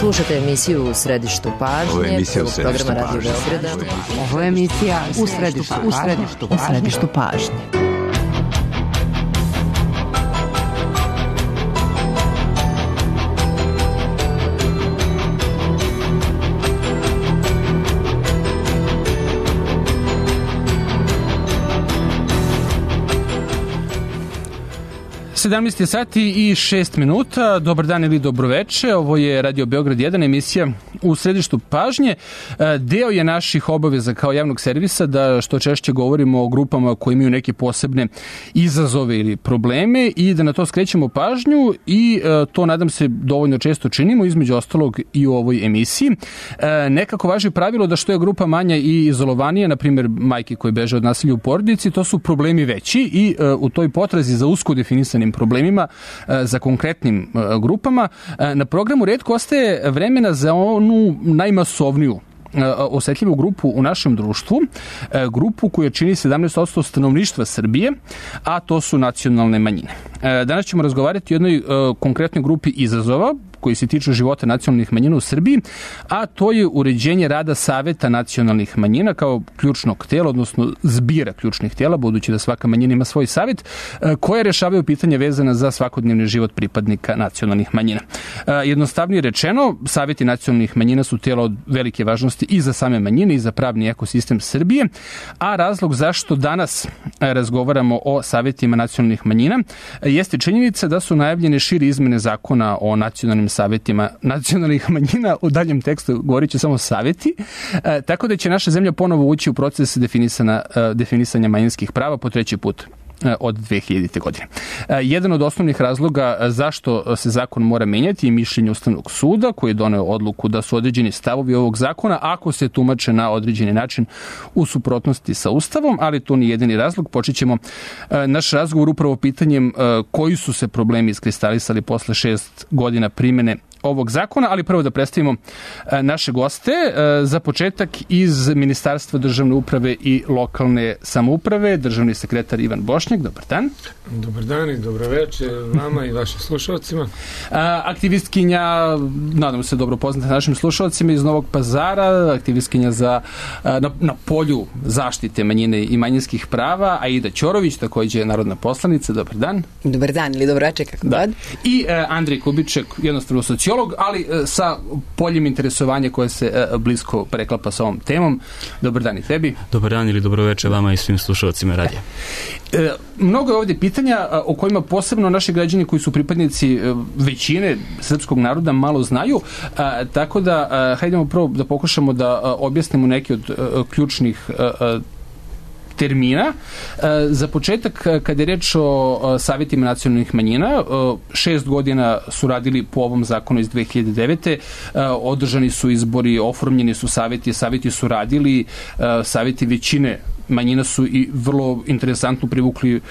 Slušate emisiju U središtu pažnje, programa Radio Beograda. Ovo je emisija U središtu pažnje. Sedamnaest sati i 6 minuta. Dobar dan ili dobroveče. Ovo je Radio Beograd 1, emisija U središtu pažnje. Deo je naših obaveza kao javnog servisa da što češće govorimo o grupama koji imaju neke posebne izazove ili probleme i da na to skrećemo pažnju i to, nadam se, dovoljno često činimo, između ostalog i u ovoj emisiji. Nekako važi pravilo da što je grupa manja i izolovanija, na primjer majke koje beže od nasilja u porodici, to su problemi veći i u toj potrazi za usko definisanim problemima, za konkretnim grupama, na programu retko ostaje vremena za onu najmasovniju osetljivu grupu u našem društvu, grupu koja čini 17% stanovništva Srbije, a to su nacionalne manjine. Danas ćemo razgovarati o jednoj konkretnoj grupi izazova koji se tiču života nacionalnih manjina u Srbiji, a to je uređenje rada Saveta nacionalnih manjina kao ključnog tela, odnosno zbira ključnih tela, budući da svaka manjina ima svoj savet, koje rešavaju pitanja vezana za svakodnevni život pripadnika nacionalnih manjina. Jednostavnije rečeno, Saveti nacionalnih manjina su tela od velike važnosti i za same manjine i za pravni ekosistem Srbije, a razlog zašto danas razgovaramo o Savetima nacionalnih manjina jeste činjenica da su najavljene šire izmene zakona o nacionalnim savetima nacionalnih manjina. U daljem tekstu govorit ću samo saveti, tako da će naša zemlja ponovo ući u proces definisanja manjinskih prava po treći put od 2000. godine. Jedan od osnovnih razloga zašto se zakon mora menjati je mišljenje Ustavnog suda, koji je doneo odluku da su određeni stavovi ovog zakona, ako se tumače na određeni način, u suprotnosti sa Ustavom, ali to nije jedini razlog. Počet ćemo naš razgovor upravo pitanjem koji su se problemi iskristalisali posle 6 godina primene ovog zakona, ali prvo da predstavimo naše goste. Za početak iz Ministarstva državne uprave i lokalne samouprave, državni sekretar Ivan Bošnjak. Dobar dan. Dobar dan i dobroveče vama i vašim slušalcima. Aktivistkinja, nadam se dobro poznata našim slušalcima, iz Novog Pazara, aktivistkinja na polju zaštite manjine i manjinskih prava, Aida Ćorović, takođe narodna poslanica. Dobar dan. Dobar dan ili dobroveče, kako god. I Andrej Kubiček, jednostavno sociolog, ali sa poljem interesovanja koje se blisko preklapa sa ovom temom. Dobar dan i tebi. Dobar dan ili dobroveče vama i svim slušalcima radija. Mnogo je ovdje pitanja o kojima posebno naši građani koji su pripadnici većine srpskog naroda malo znaju, tako da hajdemo prvo da pokušamo da objasnimo neke od ključnih termina. Za početak, kada je reč o Savetima nacionalnih manjina, 6 godina su radili po ovom zakonu iz 2009. Održani su izbori, oformljeni su saveti su radili, saveti većine manjina su i vrlo interesantno privukli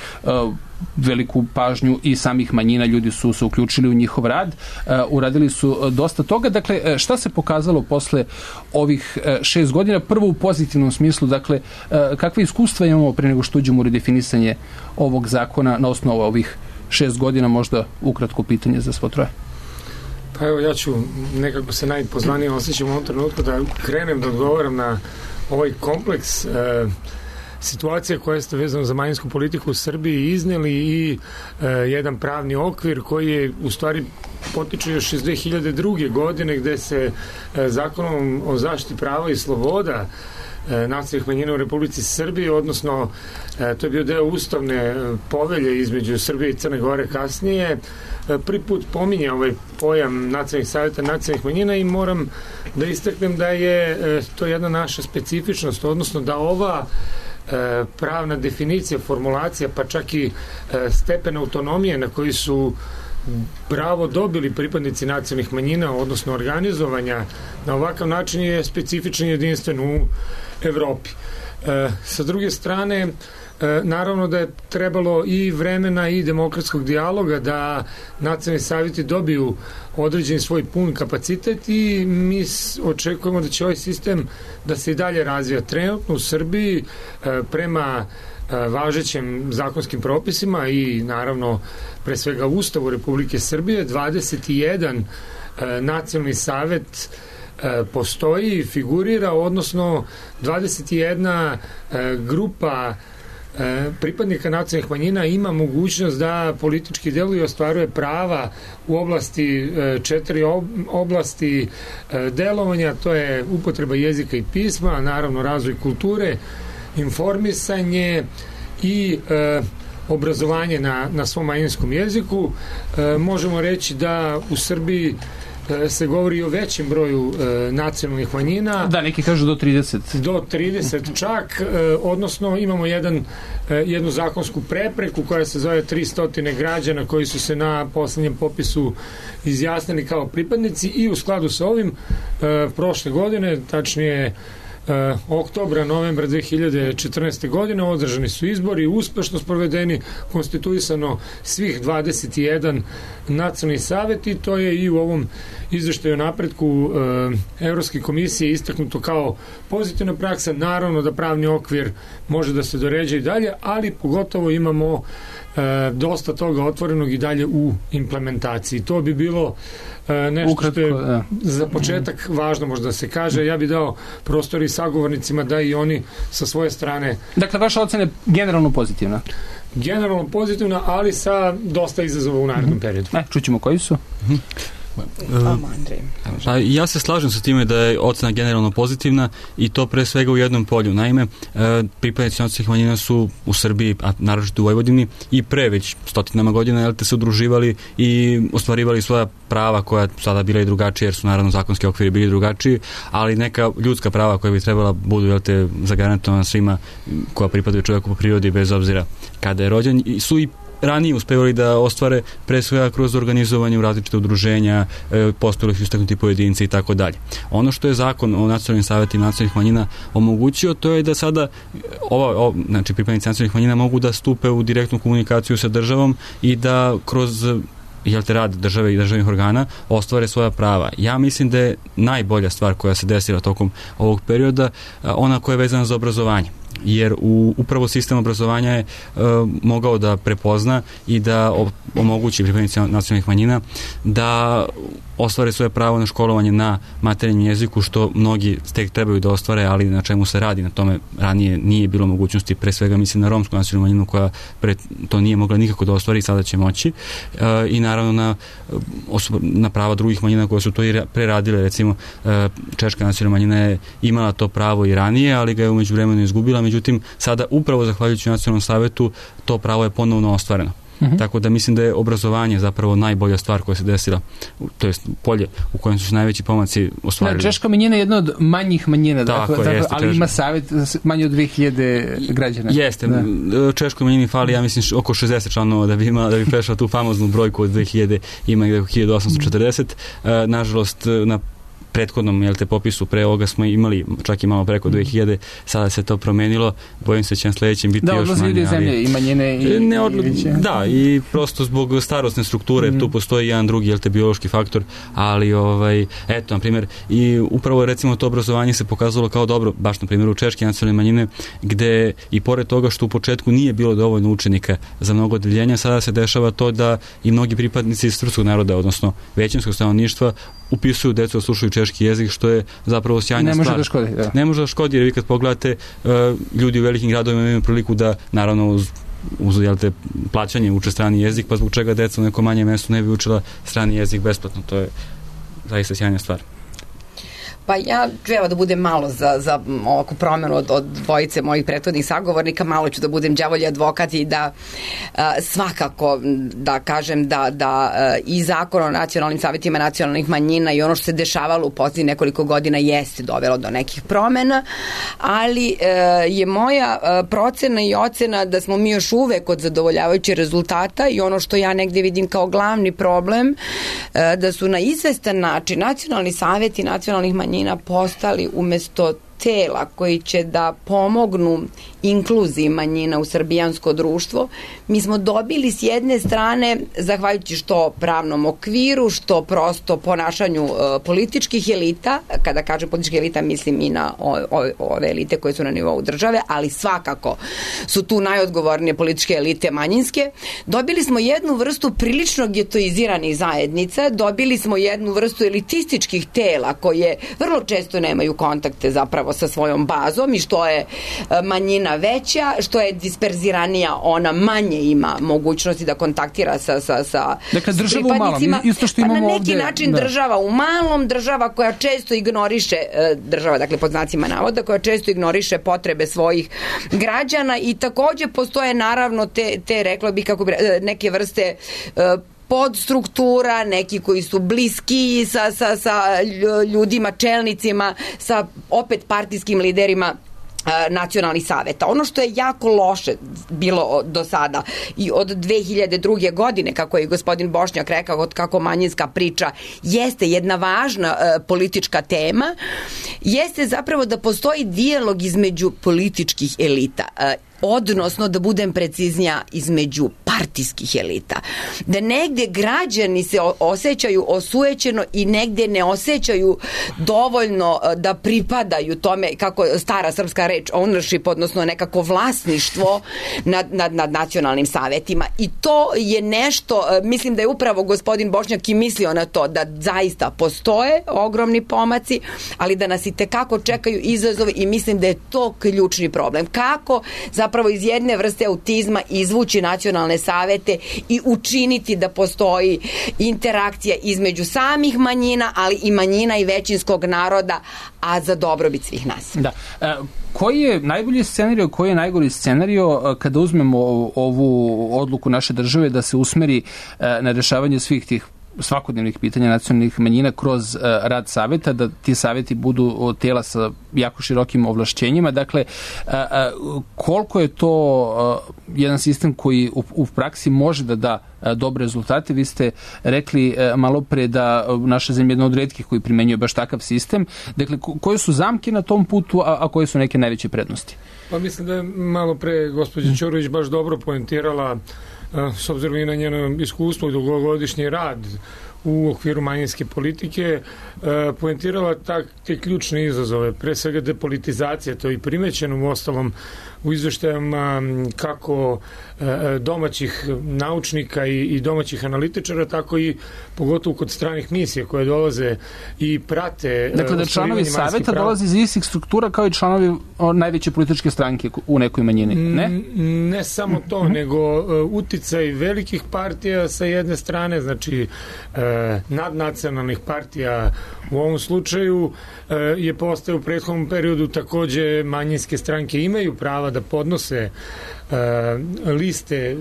veliku pažnju i samih manjina, ljudi su se uključili u njihov rad, uradili su dosta toga. Dakle, šta se pokazalo posle ovih 6 godina? Prvo u pozitivnom smislu, dakle, kakve iskustva imamo pre nego što uđemo u redefinisanje ovog zakona na osnovu ovih 6 godina, možda ukratko pitanje za svo troje. Pa evo, ja ću nekako se najpozvanije osjećam u ovom trenutku da krenem da odgovaram na ovaj kompleks situacija koja ste vezano za manjinsku politiku u Srbiji izneli i jedan pravni okvir koji je u stvari potiče još iz 2002. godine gde se zakonom o zaštiti prava i sloboda nacionalnih manjina u Republici Srbiji, odnosno to je bio deo ustavne povelje između Srbije i Crne Gore kasnije, prvi put pominje ovaj pojam nacionalnih savjeta nacionalnih manjina i moram da istaknem da je to jedna naša specifičnost, odnosno da ova pravna definicija, formulacija, pa čak i stepen autonomije na koji su pravo dobili pripadnici nacionalnih manjina, odnosno organizovanja na ovakav način, je specifičan i jedinstven u Evropi. Sa druge strane, naravno da je trebalo i vremena i demokratskog dijaloga da nacionalni savjeti dobiju određeni svoj pun kapacitet i mi očekujemo da će ovaj sistem da se i dalje razvija. Trenutno u Srbiji prema važećim zakonskim propisima i naravno pre svega Ustavu Republike Srbije 21 nacionalni savet postoji, figurira, odnosno 21 grupa pripadnika nacionalnih manjina ima mogućnost da politički deluje i ostvaruje prava u oblasti 4 oblasti delovanja, to je upotreba jezika i pisma, naravno razvoj kulture, informisanje i obrazovanje na svom manjinskom jeziku. Možemo reći da u Srbiji se govori o većem broju nacionalnih manjina. Da, neki kažu do 30. Do 30 čak, odnosno imamo jednu zakonsku prepreku koja se zove 300 građana koji su se na poslednjem popisu izjasnili kao pripadnici i u skladu sa ovim prošle godine, tačnije oktobra, novembra 2014. godine održani su izbori, uspešno sprovedeni, konstituisano svih 21 nacionalni savet i to je i u ovom izveštaju o napretku Evropske komisije istaknuto kao pozitivna praksa. Naravno da pravni okvir može da se doređe i dalje, ali pogotovo imamo dosta toga otvorenog i dalje u implementaciji. To bi bilo nešto što je za početak važno možda da se kaže. Ja bih dao prostor i sagovornicima da i oni sa svoje strane... Dakle, vaša ocena je generalno pozitivna? Generalno pozitivna, ali sa dosta izazova u narednom periodu. Čućemo koji su? Ja se slažem sa time da je ocena generalno pozitivna i to pre svega u jednom polju. Naime, pripadnici nacionalnih manjina su u Srbiji, a naročito u Vojvodini, i pre već stotinama godina se udruživali i ostvarivali svoja prava koja sada bila i drugačije, jer su naravno zakonski okviri bili drugačiji, ali neka ljudska prava koja bi trebala budu zagarantovana svima koja pripadaju čovjeku po prirodi bez obzira kada je rođen, su i ranije uspevali da ostvare pre svega kroz organizovanje u različite udruženja, postojali su istaknuti pojedinci i tako dalje. Ono što je zakon o nacionalnim savetima nacionalnih manjina omogućio, to je da sada znači pripadnici nacionalnih manjina mogu da stupe u direktnu komunikaciju sa državom i da kroz rad države i državnih organa ostvare svoja prava. Ja mislim da je najbolja stvar koja se desila tokom ovog perioda ona koja je vezana za obrazovanje. Jer upravo sistem obrazovanja je mogao da prepozna i da omogući pripadnicima nacionalnih manjina da ostvare svoje pravo na školovanje na materinjem jeziku, što mnogi tek trebaju da ostvare, ali na čemu se radi. Na tome ranije nije bilo mogućnosti, pre svega mislim na romsku nacionalnu manjinu koja to nije mogla nikako da ostvari, sada će moći. I naravno na prava drugih manjina koje su to i preradile. Recimo, češka nacionalna manjina je imala to pravo i ranije, ali ga je umeđu vremenu izgubila. Međutim, sada upravo zahvaljujući nacionalnom savetu to pravo je ponovno ostvareno. Tako da mislim da je obrazovanje zapravo najbolja stvar koja se desila, to jest polje u kojem su se najveći pomaci ostvarili. Češka manjina je jedna od manjih manjina, ali ima savet manje od 2000 građana. Jeste, Češkoj manjini fali, ja mislim, oko 60 članova da bi prešao tu famoznu brojku od 2000, ima ih 1840. Nažalost, na prethodnom popisu pre ovoga smo imali čak i malo preko 2000, sada se to promenilo, bojim se će na sledećem biti još manje. Zemlje i manjine i prosto zbog starosne strukture tu postoji jedan drugi biološki faktor, ali eto, na primjer, i upravo recimo to obrazovanje se pokazalo kao dobro, baš na primjeru češke nacionalne manjine, gde i pored toga što u početku nije bilo dovoljno učenika za mnogo odeljenja, sada se dešava to da i mnogi pripadnici srpskog naroda, odnosno većinskog stanovništva, upisuju decu da slušaju češki jezik, što je zapravo sjajna stvar. Ne može da škodi, jer vi kad pogledate, ljudi u velikim gradovima imaju priliku da, naravno uz plaćanje, uče strani jezik, pa zbog čega deca u nekom manjem mestu ne bi učila strani jezik besplatno. To je zaista sjajna stvar. Pa ja ću da budem malo za ovakvu promenu od dvojice mojih prethodnih sagovornika, malo ću da budem đavolji advokat i da svakako da kažem da i zakon o nacionalnim savetima nacionalnih manjina i ono što se dešavalo u posljednjih nekoliko godina jeste dovelo do nekih promena, ali je moja procena i ocena da smo mi još uvek od zadovoljavajućih rezultata i ono što ja negde vidim kao glavni problem, da su na izvestan način nacionalni saveti nacionalnih manjina postali umesto tela koji će da pomognu inkluziji manjina u srbijansko društvo, mi smo dobili s jedne strane, zahvaljujući što pravnom okviru, što prosto ponašanju političkih elita, kada kažem političkih elita mislim i na ove elite koje su na nivou države, ali svakako su tu najodgovornije političke elite manjinske, dobili smo jednu vrstu prilično getoiziranih zajednica, dobili smo jednu vrstu elitističkih tela koje vrlo često nemaju kontakte zapravo sa svojom bazom i što je manjina veća, što je disperziranija, ona manje ima mogućnosti da kontaktira sa dakle, država pripadnicima. U malom, isto što imamo na neki ovde, način država u malom, država koja često ignoriše, država, dakle pod znacima navoda, koja često ignoriše potrebe svojih građana i takođe postoje naravno te rekla bih kako bi, neke vrste podstruktura, neki koji su bliski sa ljudima, čelnicima, sa opet partijskim liderima nacionalnih saveta. Ono što je jako loše bilo do sada i od 2002. godine, kako je gospodin Bošnjak rekao, kako manjinska priča jeste jedna važna politička tema, jeste zapravo da postoji dijalog između političkih elita, odnosno, da budem preciznija, između partijskih elita. Da negde građani se osjećaju osujećeno i negde ne osjećaju dovoljno da pripadaju tome, kako stara srpska reč, ownership, odnosno nekako vlasništvo nad nacionalnim savetima. I to je nešto, mislim da je upravo gospodin Bošnjak i mislio na to, da zaista postoje ogromni pomaci, ali da nas i tekako čekaju izazove i mislim da je to ključni problem. Kako zapravo iz jedne vrste autizma izvući nacionalne savete i učiniti da postoji interakcija između samih manjina, ali i manjina i većinskog naroda, a za dobrobit svih nas. Da. Koji je najbolji scenario, koji je najgori scenario kada uzmemo ovu odluku naše države da se usmeri na rešavanje svih tih svakodnevnih pitanja nacionalnih manjina kroz rad saveta, da ti saveti budu tela sa jako širokim ovlašćenjima. Dakle, koliko je to jedan sistem koji u praksi može da da dobre rezultate? Vi ste rekli malo pre da naša zemlja je jedna od retkih koji primenjuje baš takav sistem. Dakle, koje su zamke na tom putu, a koje su neke najveće prednosti? Pa mislim da je malo pre gospođa Ćorović baš dobro poentirala, s obzirom i na njeno iskustvo i dugogodišnji rad u okviru manjinske politike, poentirala te ključne izazove, pre svega depolitizacija, to je i primećeno u ostalom u izveštajama kako domaćih naučnika i domaćih analitičara, tako i pogotovo kod stranih misija koje dolaze i prate. Dakle, da članovi saveta dolaze iz istih struktura kao i članovi najveće političke stranke u nekoj manjini, ne? Ne samo to, nego uticaj velikih partija sa jedne strane, znači nadnacionalnih partija u ovom slučaju je postao u prethodnom periodu. Takođe manjinske stranke imaju prava da podnose liste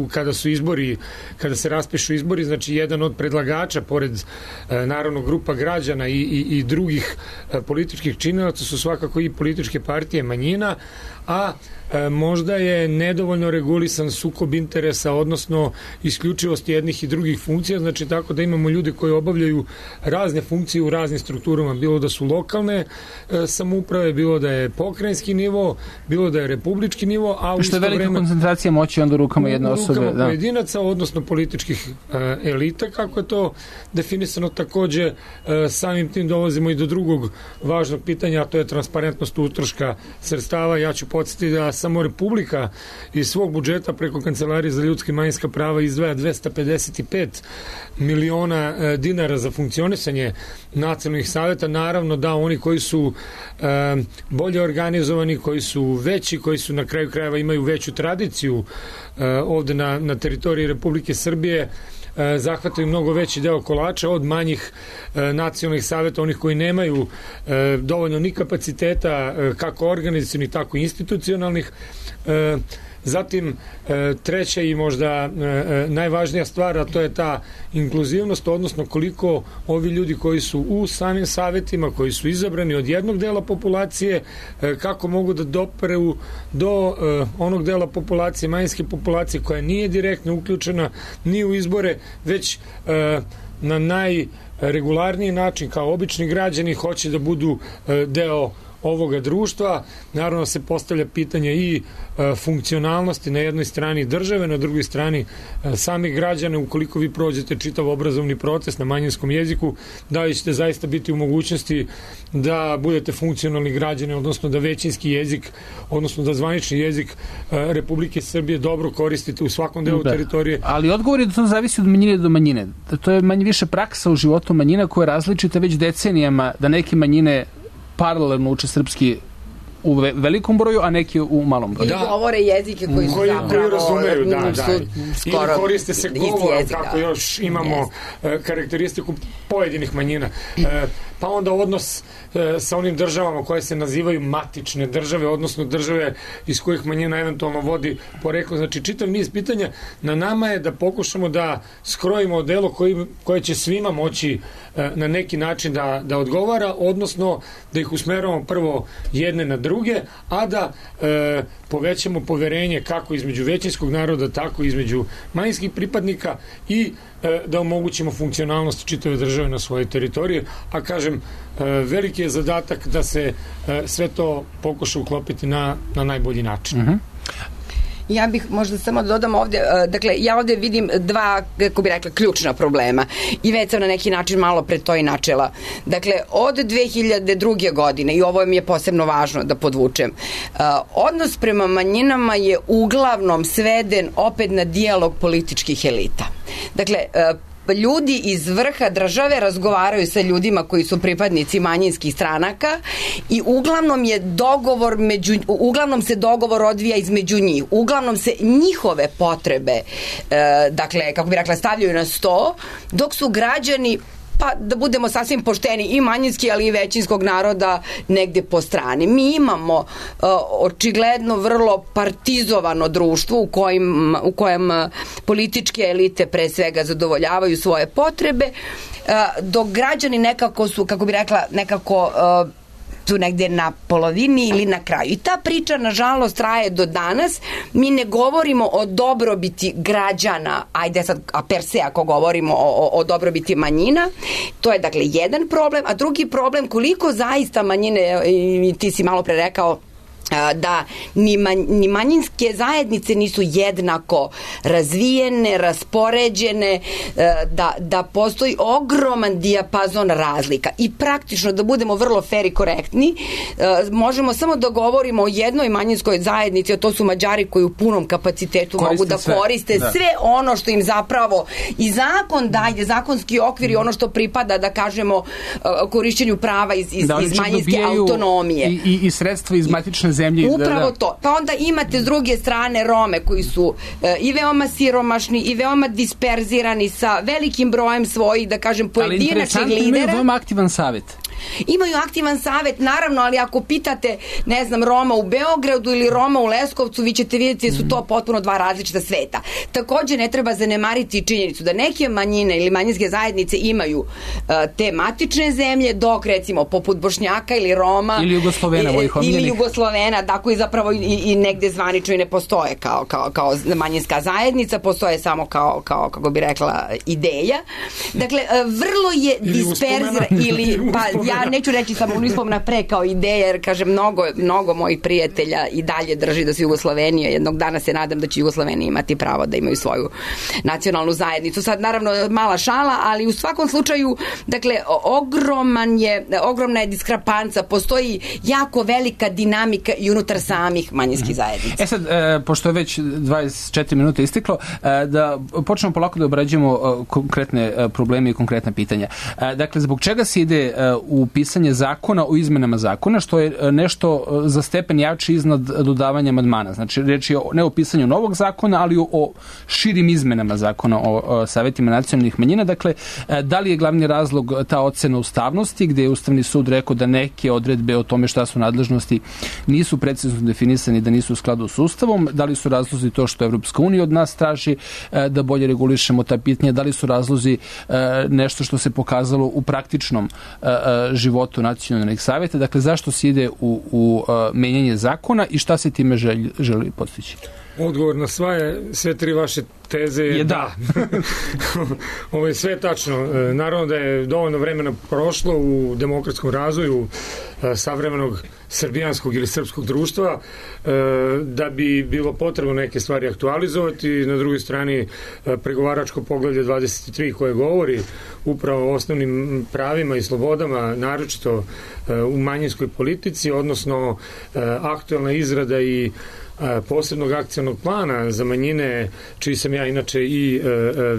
kada su izbori, kada se raspišu izbori, znači jedan od predlagača pored naravno grupa građana i drugih političkih činilaca su svakako i političke partije manjina, a možda je nedovoljno regulisan sukob interesa, odnosno isključivost jednih i drugih funkcija, znači tako da imamo ljude koji obavljaju razne funkcije u raznim strukturama, bilo da su lokalne samouprave, bilo da je pokrajinski nivo, bilo da je republički nivo, a u isto vreme... Što je velika koncentracija moći onda u rukama jedne osobe. U rukama pojedinaca, odnosno političkih elita, kako je to definisano. Takođe, samim tim dolazimo i do drugog važnog pitanja, a to je transparentnost utroška sredstava. Ja ću podsjetiti da samo Republika iz svog budžeta preko Kancelarije za ljudska i manjinska prava izdvaja 255 miliona dinara za funkcionisanje nacionalnih saveta. Naravno da oni koji su bolje organizovani, koji su veći, koji su na kraju krajeva imaju veću tradiciju ovde na teritoriji Republike Srbije, zahvataju mnogo veći deo kolača od manjih nacionalnih saveta, onih koji nemaju dovoljno ni kapaciteta kako organizacionih, tako i institucionalnih. Zatim, treća i možda najvažnija stvar, a to je ta inkluzivnost, odnosno koliko ovi ljudi koji su u samim savetima, koji su izabrani od jednog dela populacije, kako mogu da doperu do onog dela populacije, manjinske populacije koja nije direktno uključena ni u izbore, već na najregularniji način, kao obični građani, hoće da budu deo ovoga društva. Naravno se postavlja pitanje i funkcionalnosti na jednoj strani države, na drugoj strani samih građana. Ukoliko vi prođete čitav obrazovni proces na manjinskom jeziku, da li ćete zaista biti u mogućnosti da budete funkcionalni građani, odnosno da većinski jezik, odnosno da zvanični jezik Republike Srbije dobro koristite u svakom delu teritorije. Ali odgovor je da to zavisi od manjine do manjine. To je manje više praksa u životu manjina koja je različita već decenijama, da neke manjine paralelno uče srpski u velikom broju, a neki u malom broju. Da. Govore jezike koji su zapravo razumeju, ili koriste se govorom, kako još imamo karakteristiku pojedinih manjina. Pa onda odnos sa onim državama koje se nazivaju matične države, odnosno države iz kojih manjina eventualno vodi poreklo. Znači, čitav niz pitanja. Na nama je da pokušamo da skrojimo odelo koje će svima moći na neki način da odgovara, odnosno da ih usmeramo prvo jedne na druge, a da povećamo poverenje kako između većinskog naroda, tako između manjinskih pripadnika i da omogućimo funkcionalnost čitave države na svojoj teritoriji, a kažem, veliki je zadatak da se sve to pokuša uklopiti na najbolji način. Ja bih možda samo dodam ovde, dakle, ja ovde vidim dva, kako bih rekla, ključna problema i već sam na neki način malo pre to i načela. Dakle, od 2002. godine, i ovo mi je posebno važno da podvučem, odnos prema manjinama je uglavnom sveden opet na dijalog političkih elita. Dakle, ljudi iz vrha države razgovaraju sa ljudima koji su pripadnici manjinskih stranaka i uglavnom se dogovor odvija između njih. Uglavnom se njihove potrebe, dakle, kako bih rekla, stavljaju na sto, dok su građani, pa da budemo sasvim pošteni, i manjinski, ali i većinskog naroda negde po strani. Mi imamo očigledno vrlo partizovano društvo u kojem političke elite pre svega zadovoljavaju svoje potrebe, dok građani nekako su, kako bi rekla, nekako tu negde na polovini ili na kraju. I ta priča, nažalost, traje do danas. Mi ne govorimo o dobrobiti građana, ajde sad, a per se ako govorimo o dobrobiti manjina. To je, dakle, jedan problem, a drugi problem, koliko zaista manjine, i ti si malo pre rekao, da ni manjinske zajednice nisu jednako razvijene, raspoređene, da postoji ogroman dijapazon razlika. I praktično, da budemo vrlo fer i korektni, možemo samo da govorimo o jednoj manjinskoj zajednici, a to su Mađari koji u punom kapacitetu mogu da koriste sve ono što im zapravo i zakon daje, zakonski okvir i ono što pripada, da kažemo, korišćenju prava iz manjinske autonomije. I sredstva iz matične zemlje. Upravo to. Pa onda imate s druge strane Rome koji su i veoma siromašni i veoma disperzirani sa velikim brojem svojih, da kažem, pojedinačnih lidera. Ali interesantno, imaju veoma aktivan savjet. Imaju aktivan savjet, naravno, ali ako pitate, ne znam, Roma u Beogradu ili Roma u Leskovcu, vi ćete vidjeti da su to potpuno dva različita sveta. Takođe, ne treba zanemariti činjenicu da neke manjine ili manjinske zajednice imaju te matične zemlje, dok, recimo, poput Bošnjaka ili Roma ili Jugoslovena, ili Jugoslovena, da, koji zapravo i negde zvanično i ne postoje kao manjinska zajednica, postoje samo kao, kako bi rekla, ideja. Dakle, vrlo je disperzira ili, pa ja neću reći samo unispomena pre kao ideja, jer, kažem, mnogo mojih prijatelja i dalje drži da su Jugoslovenija. Jednog dana se nadam da će Jugoslovenija imati pravo da imaju svoju nacionalnu zajednicu. Sad, naravno, mala šala, ali u svakom slučaju, dakle, ogromna je diskrepanca, postoji jako velika dinamika i unutar samih manjinskih zajednica. Sad, pošto je već 24 minuta isteklo, da počnemo polako da obrađujemo konkretne probleme i konkretna pitanja. Dakle, zbog čega se ide u pisanje zakona o izmenama zakona, što je nešto za stepen jači iznad dodavanja amandmana. Znači, reč je ne o pisanju novog zakona, ali o širim izmenama zakona o savetima nacionalnih manjina. Dakle, da li je glavni razlog ta ocena ustavnosti, gde je Ustavni sud rekao da neke odredbe o tome šta su nadležnosti nisu precizno definisani, da nisu u skladu s Ustavom, da li su razlozi to što Evropska unija od nas traži da bolje regulišemo ta pitanja, da li su razlozi nešto što se pokazalo u praktičnom životu nacionalnih savjeta. Dakle, zašto se ide u menjanje zakona i šta se time želi postići? Odgovor na sve tri vaše teze je da. Ovo je sve tačno. Naravno da je dovoljno vremena prošlo u demokratskom razvoju savremenog srbijanskog ili srpskog društva da bi bilo potrebno neke stvari aktualizovati. Na drugoj strani pregovaračko poglavlje 23 koje govori upravo o osnovnim pravima i slobodama, naročito u manjinskoj politici, odnosno aktualna izrada i posebnog akcionog plana za manjine, čiji sam ja inače i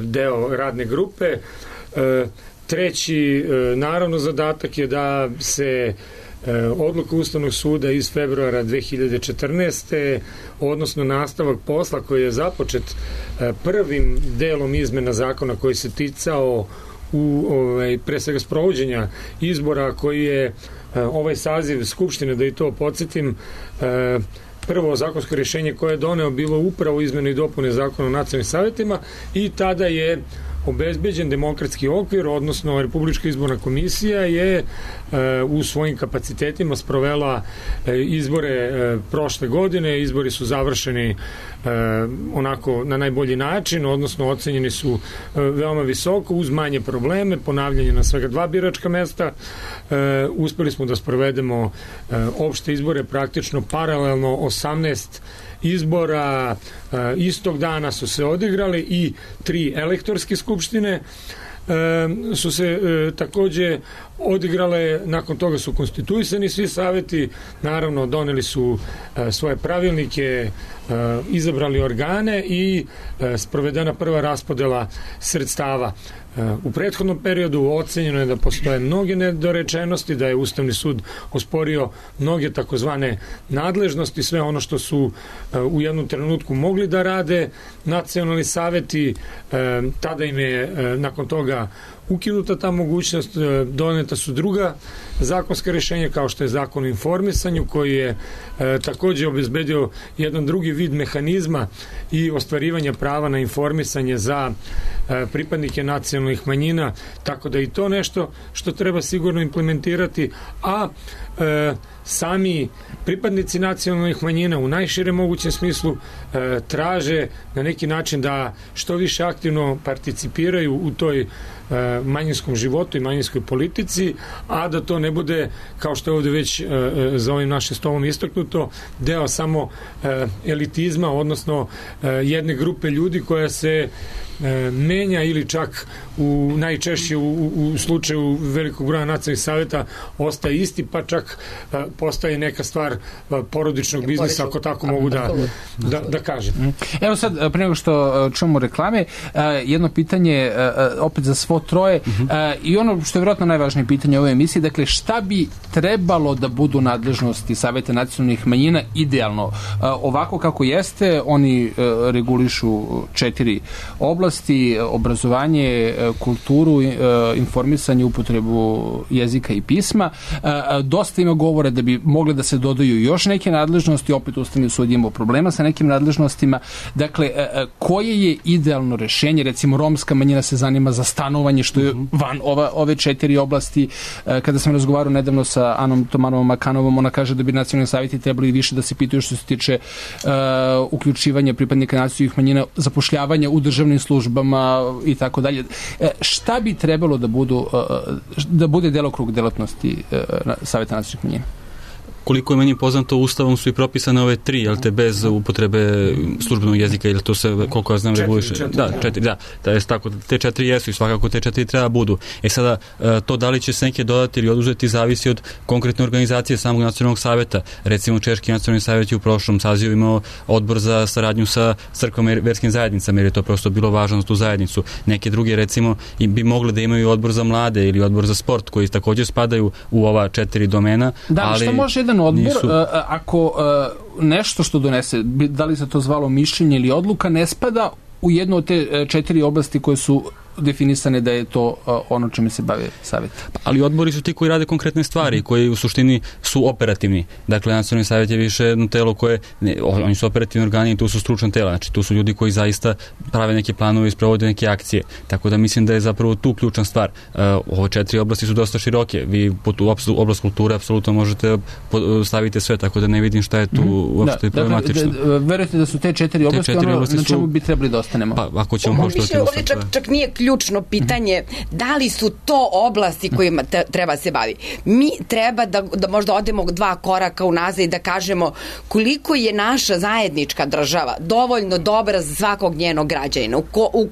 deo radne grupe. Treći, naravno, zadatak je da se odluka Ustavnog suda iz februara 2014. odnosno nastavak posla koji je započet prvim delom izmena zakona koji se ticao pre svega sprovođenja izbora koji je ovaj saziv Skupštine, da i to podsjetim, prvo zakonsko rješenje koje je doneo bilo upravo izmene i dopune zakona o nacionalnim savjetima i tada je obezbeđen demokratski okvir, odnosno Republička izborna komisija je u svojim kapacitetima sprovela izbore prošle godine. Izbori su završeni onako na najbolji način, odnosno ocenjeni su veoma visoko uz manje probleme, ponavljanje na svega 2 biračka mesta. Uspeli smo da sprovedemo opšte izbore praktično paralelno 18 izbora istog dana su se odigrali i 3 elektorske skupštine su se takođe odigrale, nakon toga su konstituisani svi saveti, naravno doneli su svoje pravilnike, izabrali organe i sprovedena prva raspodela sredstava. U prethodnom periodu ocenjeno je da postoje mnoge nedorečenosti, da je Ustavni sud osporio mnoge takozvane nadležnosti, sve ono što su u jednom trenutku mogli da rade nacionalni saveti, tada im je nakon toga ukinuta ta mogućnost, doneta su druga zakonska rješenja kao što je Zakon o informisanju koji je takođe obezbedio jedan drugi vid mehanizma i ostvarivanja prava na informisanje za pripadnike nacionalnih manjina, tako da i to nešto što treba sigurno implementirati, a sami pripadnici nacionalnih manjina u najširem mogućem smislu traže na neki način da što više aktivno participiraju u toj manjinskom životu i manjinskoj politici, a da to ne bude, kao što je ovde već za ovim našim stolom istaknuto, deo samo elitizma, odnosno jedne grupe ljudi koja se menja ili čak najčešće u slučaju velikog broja nacionalnih savjeta ostaje isti, pa čak postaje neka stvar porodičnog biznisa, ako tako mogu da kažem. Evo sad, pre nego što čujemo reklame, jedno pitanje opet za svo troje i ono što je vjerojatno najvažnije pitanje u ovoj emisiji, dakle šta bi trebalo da budu nadležnosti Saveta nacionalnih manjina idealno? Ovako kako jeste, oni regulišu 4 oblasti: obrazovanje, kulturu, informisanje, upotrebu jezika i pisma. Dosta ima govora da bi mogle da se dodaju još neke nadležnosti, opet Ustavni sud imao problema sa nekim nadležnostima. Dakle, koje je idealno rešenje? Recimo, romska manjina se zanima za stanovanje, što je van ove 4 oblasti. Kada sam razgovarao nedavno sa Anom Tomanovom Makanovom, ona kaže da bi nacionalni savjeti trebali više da se pitaju što se tiče uključivanja pripadnika nacionalnih manjina, zapošljavanja u državnim službama i tako dalje. Šta bi trebalo da bude delokrug delatnosti Saveta nacionalnih manjina? Koliko je meni poznato, Ustavom su i propisane ove 3, jel te, bez upotrebe službenog jezika, ili to se, koliko ja znam, reguliše? 4, da. Tako, te 4 jesu i svakako te 4 treba budu. Sada, to da li će se neke dodati ili oduzeti zavisi od konkretne organizacije samog nacionalnog savjeta. Recimo, Češki nacionalni savjet je u prošlom sazivu imao odbor za saradnju sa crkvama i verskim zajednicama, jer je to prosto bilo važno za tu zajednicu. Neke druge, recimo, bi mogle da imaju odbor za mlade ili odbor za sport, koji također spadaju u ova 4 domena. Da, ali što može jedan odbor, ako nešto što donese, da li se to zvalo mišljenje ili odluka, ne spada u jednu od te 4 oblasti koje su definisane da je to ono čime se bave savjet. Ali odbori su ti koji rade konkretne stvari, koji u suštini su operativni. Dakle, nacionalni savjet je više jedno telo koje, oni su operativni organi i tu su stručna tela, znači tu su ljudi koji zaista prave neke planove i sprovode neke akcije. Tako da mislim da je zapravo tu ključna stvar. Ove 4 oblasti su dosta široke. Vi u oblast kulture apsolutno možete staviti sve, tako da ne vidim šta je tu uopšte problematično. Verujete da su te 4 oblasti ono na čemu bi trebali da ostanemo? Pa, ako ćemo poštovati ovdje čak nije ključno pitanje da li su to oblasti kojima treba se bavi. Mi treba da možda odemo 2 koraka unazad i da kažemo koliko je naša zajednička država dovoljno dobra za svakog njenog građanina.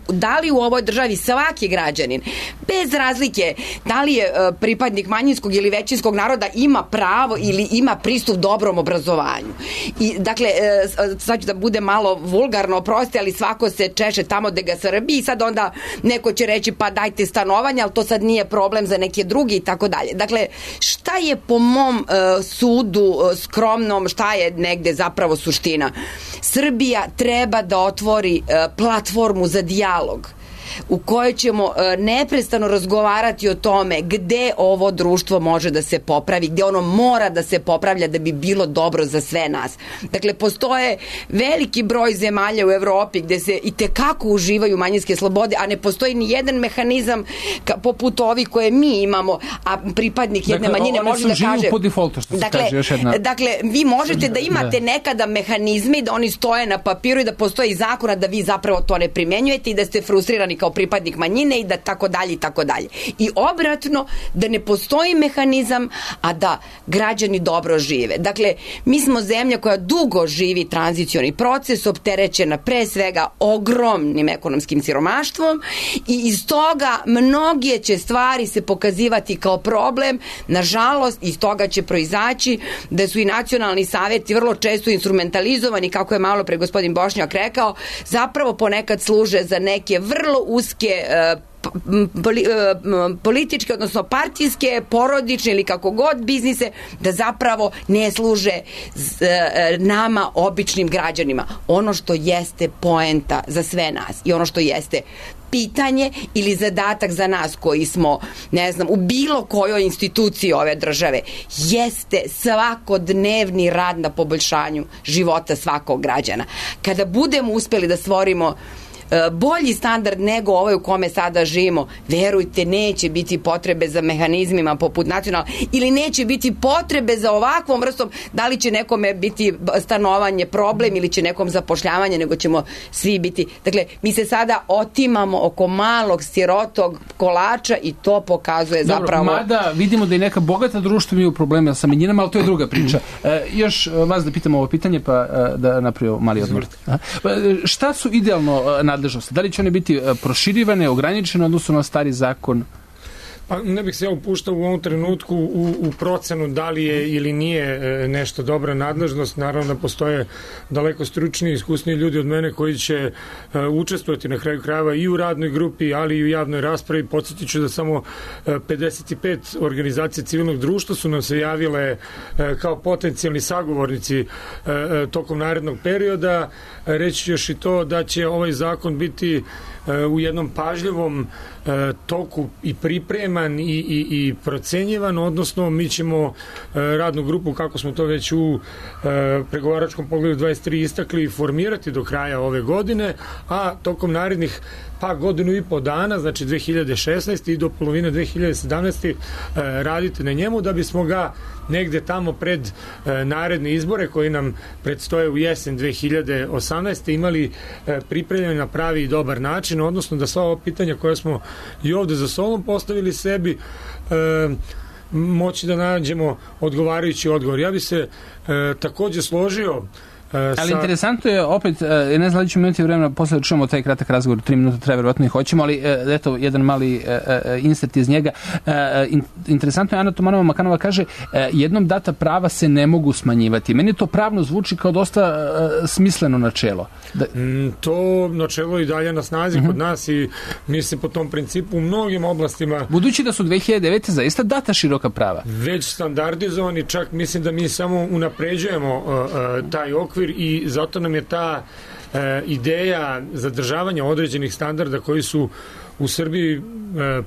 Da li u ovoj državi svaki građanin, bez razlike da li je pripadnik manjinskog ili većinskog naroda, ima pravo ili ima pristup dobrom obrazovanju. I dakle, sad ću da bude malo vulgarno, oprosti, ali svako se češe tamo gde ga srbi i sad onda neko će reći pa dajte stanovanje, ali to sad nije problem za neke drugi i tako dalje. Dakle, šta je po mom sudu skromnom, šta je negde zapravo suština? Srbija treba da otvori platformu za dijalog u kojoj ćemo neprestano razgovarati o tome gde ovo društvo može da se popravi, gde ono mora da se popravlja da bi bilo dobro za sve nas. Dakle, postoje veliki broj zemalja u Evropi gde se i tekako uživaju manjinske slobode, a ne postoji ni jedan mehanizam poput ovih koje mi imamo, a pripadnik jedne manjine može da kaže... po defaultu, što se kaže još jedna... Dakle, vi možete da imate nekada mehanizme da oni stoje na papiru i da postoji zakona da vi zapravo to ne primenjujete i da ste frustrirani kao pripadnik manjine i da tako dalje i tako dalje. I obratno, da ne postoji mehanizam, a da građani dobro žive. Dakle, mi smo zemlja koja dugo živi tranzicioni proces, opterećena pre svega ogromnim ekonomskim siromaštvom i iz toga mnoge će stvari se pokazivati kao problem. Nažalost, iz toga će proizaći da su i nacionalni savjeti vrlo često instrumentalizovani, kako je malo pre gospodin Bošnjak rekao, zapravo ponekad služe za neke vrlo uske političke, odnosno partijske, porodične ili kako god biznise, da zapravo ne služe nama, običnim građanima. Ono što jeste poenta za sve nas i ono što jeste pitanje ili zadatak za nas koji smo, ne znam, u bilo kojoj instituciji ove države, jeste svakodnevni rad na poboljšanju života svakog građana. Kada budemo uspeli da stvorimo bolji standard nego ovaj u kome sada živimo, verujte, neće biti potrebe za mehanizmima poput nacionalnog, ili neće biti potrebe za ovakvom vrstom, da li će nekome biti stanovanje problem ili će nekom zapošljavanje, nego ćemo svi biti. Dakle, mi se sada otimamo oko malog sirotog kolača i to pokazuje zapravo... Dobro, mada vidimo da i neka bogata društva imaju problema sa manjinama, ali to je druga priča. Još vas da pitam ovo pitanje, pa da napravimo mali odmor. Šta su idealno nadležnosti? Da li će one biti proširivane, ograničene odnosno na stari zakon? Pa ne bih se ja upuštao u ovom trenutku u procenu da li je ili nije nešto dobra nadležnost. Naravno da postoje daleko stručniji i iskusniji ljudi od mene koji će učestvovati na kraju krajeva i u radnoj grupi, ali i u javnoj raspravi. Podsjetit ću da samo 55 organizacija civilnog društva su nam se javile kao potencijalni sagovornici tokom narednog perioda. Reći još i to da će ovaj zakon biti u jednom pažljivom toku i pripreman i procenjivan, odnosno mi ćemo radnu grupu, kako smo to već u pregovaračkom pogledu 23 istakli, formirati do kraja ove godine, a tokom narednih godinu i po dana, znači 2016. i do polovine 2017. radite na njemu da bismo ga negde tamo pred naredne izbore koji nam predstoje u jesen 2018. imali pripremljeni na pravi i dobar način, odnosno da sva ova pitanja koja smo i ovde za stolom postavili sebi moći da nađemo odgovarajući odgovor. Ja bi se takođe složio ali interesantno je, opet, ne znam da ćemo imati vremena posle da čujemo taj kratak razgovor, 3 minuta treba, verovatno i hoćemo, ali eto, jedan mali insert iz njega. Interesantno je, Ana Tomanova Makanova kaže, jednom data prava se ne mogu smanjivati. Meni to pravno zvuči kao dosta smisleno načelo. To načelo i dalje na snazi kod nas i mi se po tom principu u mnogim oblastima... Budući da su 2009. zaista data široka prava. Već standardizovani, čak mislim da mi samo unapređujemo taj okvir i zato nam je ta ideja zadržavanja određenih standarda koji su u Srbiji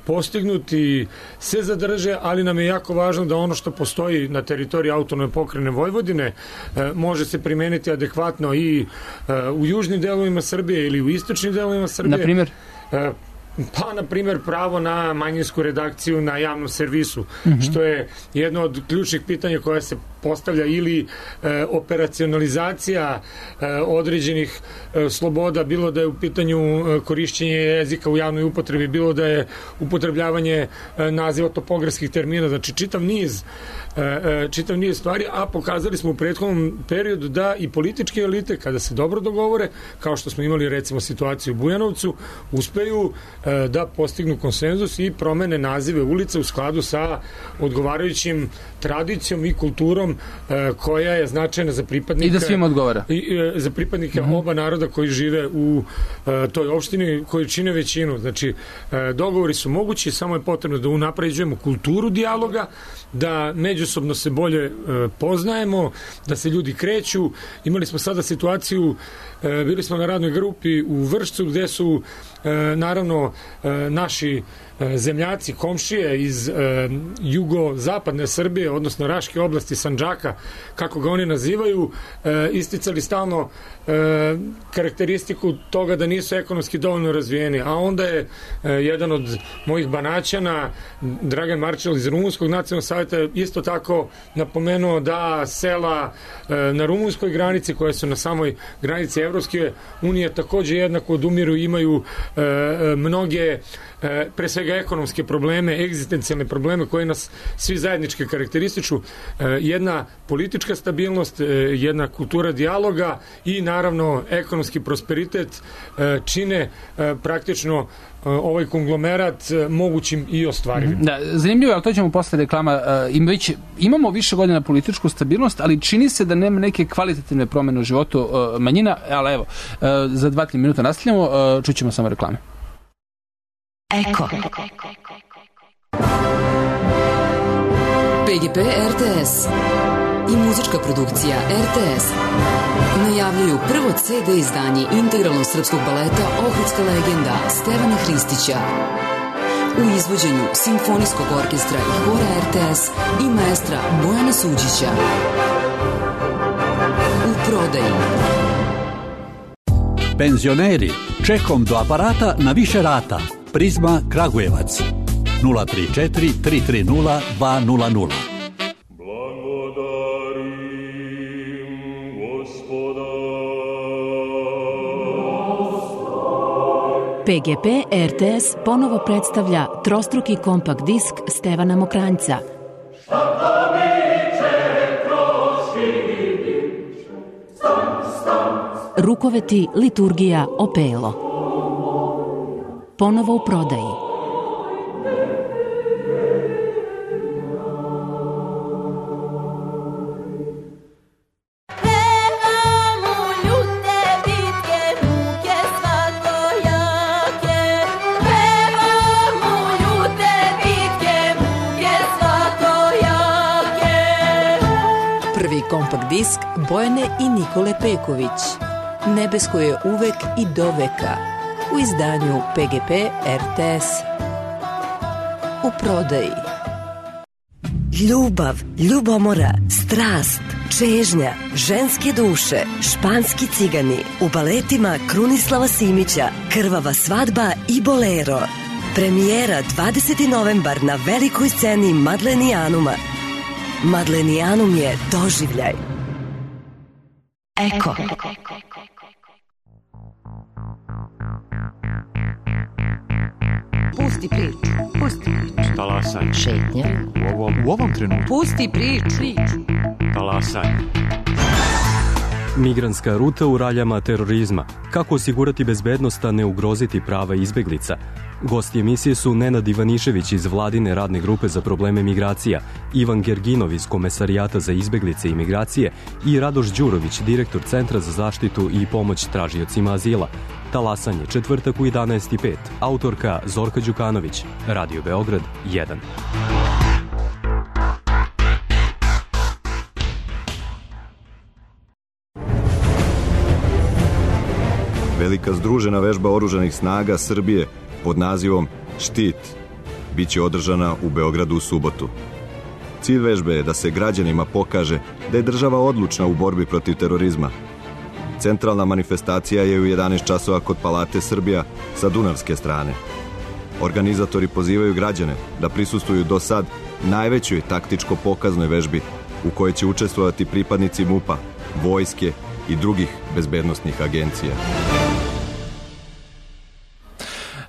postignuti se zadrže, ali nam je jako važno da ono što postoji na teritoriji autonomne pokrajine Vojvodine može se primeniti adekvatno i u južnim delovima Srbije ili u istočnim delovima Srbije. Na primjer? Pa, na primjer, pravo na manjinsku redakciju na javnom servisu, što je jedno od ključnih pitanja koja se postavlja, ili operacionalizacija određenih sloboda, bilo da je u pitanju korišćenje jezika u javnoj upotrebi, bilo da je upotrebljavanje naziva topografskih termina, znači čitav niz stvari, a pokazali smo u prethodnom periodu da i političke elite, kada se dobro dogovore, kao što smo imali recimo situaciju u Bujanovcu, uspeju da postignu konsenzus i promene nazive ulica u skladu sa odgovarajućim tradicijom i kulturom koja je značajna za pripadnike. I da svima odgovara. Za pripadnike oba naroda koji žive u toj opštini, koji čine većinu. Znači, dogovori su mogući, samo je potrebno da unapređujemo kulturu dijaloga, da međusobno se bolje poznajemo, da se ljudi kreću. Imali smo sada situaciju, bili smo na radnoj grupi u Vršcu, gde su naravno naši zemljaci, komšije iz jugozapadne Srbije, odnosno Raške oblasti, Sandžaka, kako ga oni nazivaju, isticali stalno karakteristiku toga da nisu ekonomski dovoljno razvijeni. A onda je jedan od mojih Banaćana, Dragan Marčel iz Rumunskog nacionalnog savjeta, isto tako napomenuo da sela na rumunskoj granici, koje su na samoj granici Evropske unije, takođe jednako odumiru, imaju mnoge pre svega ekonomske probleme, egzistencijalne probleme koje nas svi zajednički karakterističu. Jedna politička stabilnost, jedna kultura dijaloga i naravno ekonomski prosperitet čine praktično ovaj konglomerat mogućim i ostvarivim. Da, zanimljivo je, ali to ćemo posle reklama. Imamo više godina političku stabilnost, ali čini se da nema neke kvalitativne promene u životu manjina, ali evo, za 2-3 minuta nastavljamo, čućemo samo reklame. Eko. PGP RTS i muzička produkcija RTS najavljuju prvo CD izdanje integralnog srpskog baleta Ohridska legenda Stevana Hristića u izvođenju Simfonijskog orkestra i hora RTS i maestra Bojana Suđića. U prodaji. Penzioneri, čekom do aparata na više rata. Prizma Kragujevac 034 330 200. PGP RTS ponovo predstavlja trostruki kompakt disk Stevana Mokranjca. Rukoveti, liturgija, opelo. Ponovo u prodaji. Prvi kompakt disk Bojane i Nikole Peković. Nebesko je uvek i do veka. U izdanju PGP RTS. U prodaji. Ljubav, ljubomora, strast, čežnja, ženske duše, španski cigani, u baletima Krunislava Simića, Krvava svadba i Bolero. Premijera 20. novembar na velikoj sceni Madlenijanuma. Madlenijanum je doživljaj. Eko. Pusti priču. Pusti priču. Talasanje. Šetnja. U ovom trenutku. Pusti priču. Talasanje. Migrantska ruta u raljama terorizma. Kako osigurati bezbednost, a ne ugroziti prava izbeglica? Gosti emisije su Nenad Ivanišević iz Vladine radne grupe za probleme migracija, Ivan Gerginov iz Komesarijata za izbeglice i migracije i Radoš Đurović, direktor Centra za zaštitu i pomoć tražiocima azila. Talasanje, četvrtak u 11:05. Autorka Zorka Đukanović. Radio Beograd 1. Velika združena vežba oružanih snaga Srbije pod nazivom Štit biće održana u Beogradu u subotu. Cilj vežbe je da se građanima pokaže da je država odlučna u borbi protiv terorizma. Centralna manifestacija je u 11 časova kod Palate Srbija sa dunavske strane. Organizatori pozivaju građane da prisustvuju do sad najvećoj taktičko-pokaznoj vežbi u kojoj će učestvovati pripadnici MUP-a, vojske i drugih bezbednosnih agencija.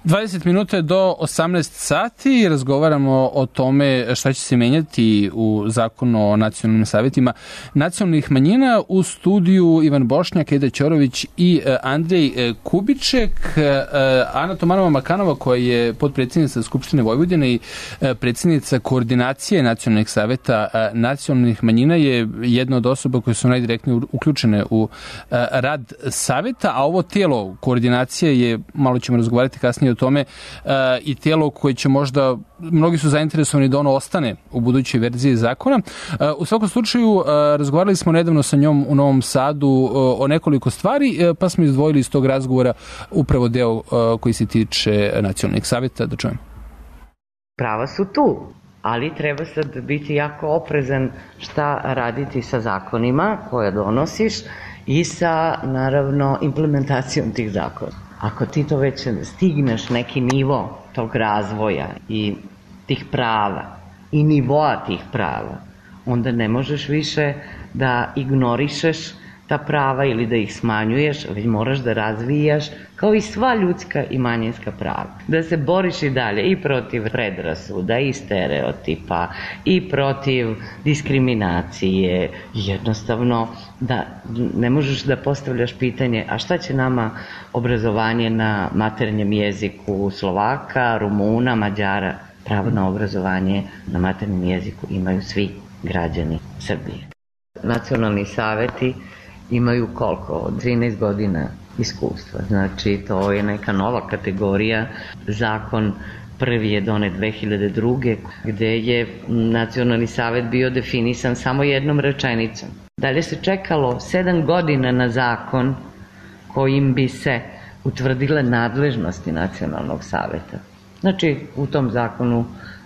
20 minuta je do 18 sati i razgovaramo o tome šta će se menjati u zakonu o nacionalnim savjetima nacionalnih manjina. U studiju Ivan Bošnjak, Eda Ćorović i Andrej Kubiček. Ana Tomanova-Makanova, koja je potpredsjednica Skupštine Vojvodine i predsjednica koordinacije nacionalnih savjeta nacionalnih manjina, je jedna od osoba koje su najdirektnije uključene u rad savjeta, a ovo tijelo koordinacije je, malo ćemo razgovarati kasnije o tome, i tijelo koje će možda, mnogi su zainteresovani da ono ostane u budućoj verziji zakona. U svakom slučaju, razgovarali smo nedavno sa njom u Novom Sadu o nekoliko stvari, pa smo izdvojili iz tog razgovora upravo deo koji se tiče nacionalnih savjeta. Da čujem. Prava su tu, ali treba sad biti jako oprezan šta raditi sa zakonima koje donosiš i sa, naravno, implementacijom tih zakona. Ako ti to već stigneš neki nivo tog razvoja i tih prava i nivoa tih prava, onda ne možeš više da ignorišeš ta prava ili da ih smanjuješ, već moraš da razvijaš kao i sva ljudska i manjinska prava. Da se boriš i dalje i protiv predrasuda i stereotipa i protiv diskriminacije. Jednostavno da ne možeš da postavljaš pitanje a šta će nama obrazovanje na maternjem jeziku Slovaka, Rumuna, Mađara. Pravo na obrazovanje na maternjem jeziku imaju svi građani Srbije. Nacionalni saveti imaju koliko? Od 13 godina iskustva. Znači, to je neka nova kategorija. Zakon prvi je donet 2002. gde je Nacionalni savet bio definisan samo jednom rečenicom. Dalje se čekalo 7 godina na zakon kojim bi se utvrdile nadležnosti Nacionalnog saveta. Znači, u tom zakonu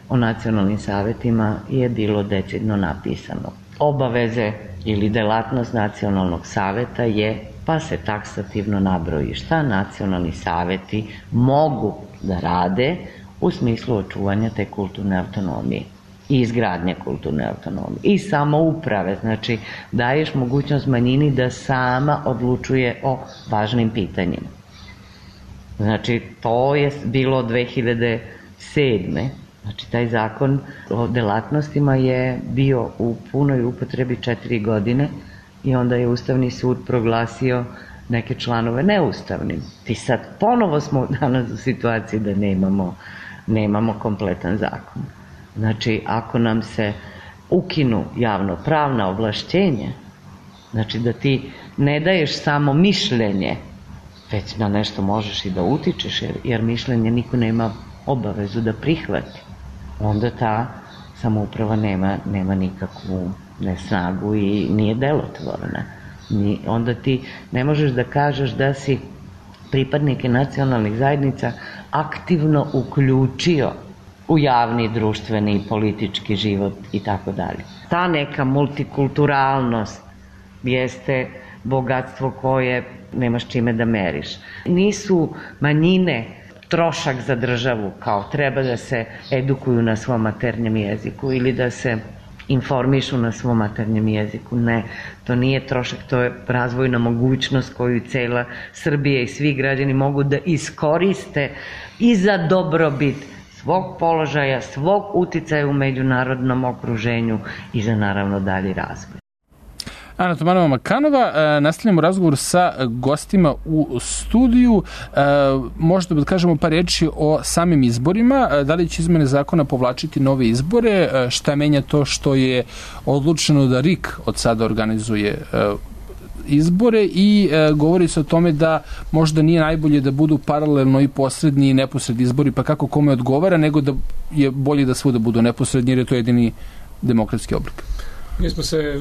o nacionalnim savetima je bilo decidno napisano. Obaveze ili delatnost nacionalnog saveta je, pa se taksativno nabroji šta nacionalni saveti mogu da rade u smislu očuvanja te kulturne autonomije i izgradnje kulturne autonomije i samouprave. Znači, daješ mogućnost manjini da sama odlučuje o važnim pitanjima. Znači, to je bilo 2007. Znači, taj zakon o delatnostima je bio u punoj upotrebi 4 godine i onda je Ustavni sud proglasio neke članove neustavnim. I sad ponovo smo danas u situaciji da nemamo kompletan zakon. Znači, ako nam se ukinu javnopravna ovlašćenja, znači da ti ne daješ samo mišljenje, već na nešto možeš i da utičeš, jer mišljenje niko nema obavezu da prihvati, onda ta samouprava nema nikakvu snagu i nije delotvorna. Onda ti ne možeš da kažeš da si pripadnike nacionalnih zajednica aktivno uključio u javni, društveni i politički život i tako dalje. Ta neka multikulturalnost jeste bogatstvo koje nemaš čime da meriš. Nisu manjine trošak za državu, kao treba da se edukuju na svom maternjem jeziku ili da se informišu na svom maternjem jeziku. Ne, to nije trošak, to je razvojna mogućnost koju cela Srbija i svi građani mogu da iskoriste i za dobrobit svog položaja, svog uticaja u međunarodnom okruženju i za naravno dalji razvoj. Ana Tomanova-Makanova, nastavljamo razgovor sa gostima u studiju. Možda da kažemo par reči o samim izborima. Da li će izmene zakona povlačiti nove izbore? Šta menja to što je odlučeno da RIK od sada organizuje izbore i govori se o tome da možda nije najbolje da budu paralelno i posredni i neposredni izbori, pa kako kome odgovara, nego da je bolje da svuda budu neposredni jer je to jedini demokratski oblik. Mi smo se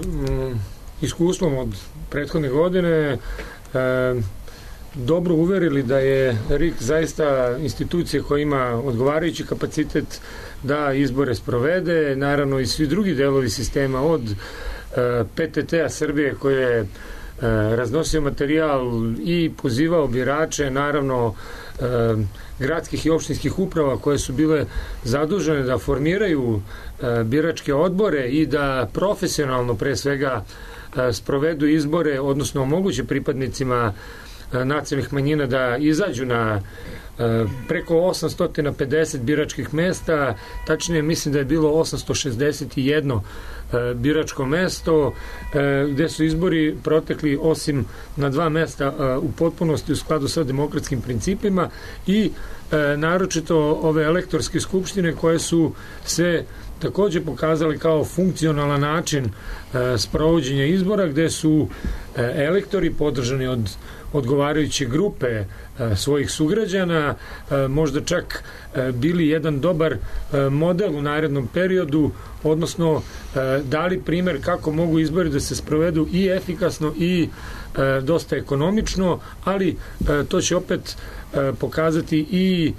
iskustvom od prethodne godine dobro uverili da je RIK zaista institucija koja ima odgovarajući kapacitet da izbore sprovede, naravno i svi drugi delovi sistema od PTT-a Srbije koje je raznosio materijal i pozivao birače, naravno gradskih i opštinskih uprava koje su bile zadužene da formiraju biračke odbore i da profesionalno pre svega sprovedu izbore, odnosno omoguće pripadnicima nacionalnih manjina da izađu na preko 850 biračkih mesta, tačnije mislim da je bilo 861 biračko mesto, gde su izbori protekli osim na 2 mesta u potpunosti u skladu sa demokratskim principima i naročito ove elektorske skupštine koje su se takođe pokazali kao funkcionalan način sprovođenja izbora, gde su elektori podržani od odgovarajuće grupe svojih sugrađana, možda čak bili jedan dobar model u narednom periodu, odnosno dali primer kako mogu izbori da se sprovedu i efikasno i dosta ekonomično, ali to će opet pokazati i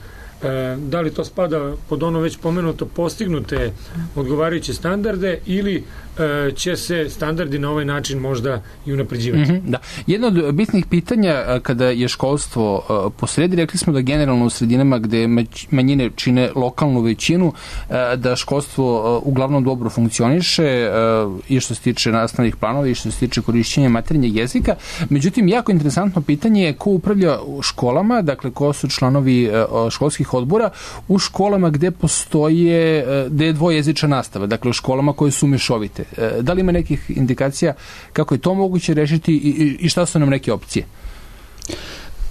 da li to spada pod ono već pomenuto postignute odgovarajuće standarde ili će se standardi na ovaj način možda i unapređivati. Da. Jedno od bitnih pitanja kada je školstvo posredi, rekli smo da generalno u sredinama gde manjine čine lokalnu većinu, da školstvo uglavnom dobro funkcioniše i što se tiče nastavnih planova i što se tiče korišćenja maternjeg jezika. Međutim, jako interesantno pitanje je ko upravlja školama, dakle ko su članovi školskih odbora u školama gde postoje, gde je dvojezična nastava, dakle u školama koje su mešovite. Da li ima nekih indikacija kako je to moguće rešiti i šta su nam neke opcije?